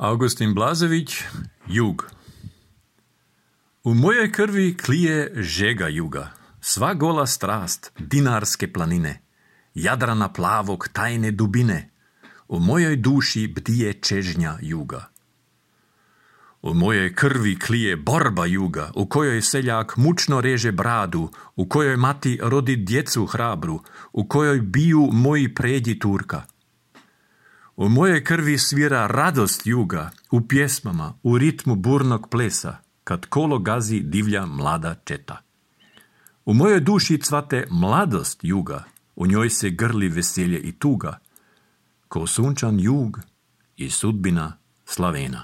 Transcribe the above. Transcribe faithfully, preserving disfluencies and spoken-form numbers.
Augustin Blažević, Jug. U mojoj krvi klije žega juga, sva gola strast, dinarske planine, Jadrana plavog tajne dubine, u mojoj duši bdije čežnja juga. U mojoj krvi klije borba juga, u kojoj seljak mučno reže bradu, u kojoj mati rodi djecu hrabru, u kojoj biju moji pređi Turka. U mojoj krvi svira radost juga, u pjesmama, u ritmu burnog plesa, kad kolo gazi divlja mlada četa. U mojoj duši cvate mladost juga, u njoj se grli veselje i tuga, ko sunčan jug i sudbina Slavena.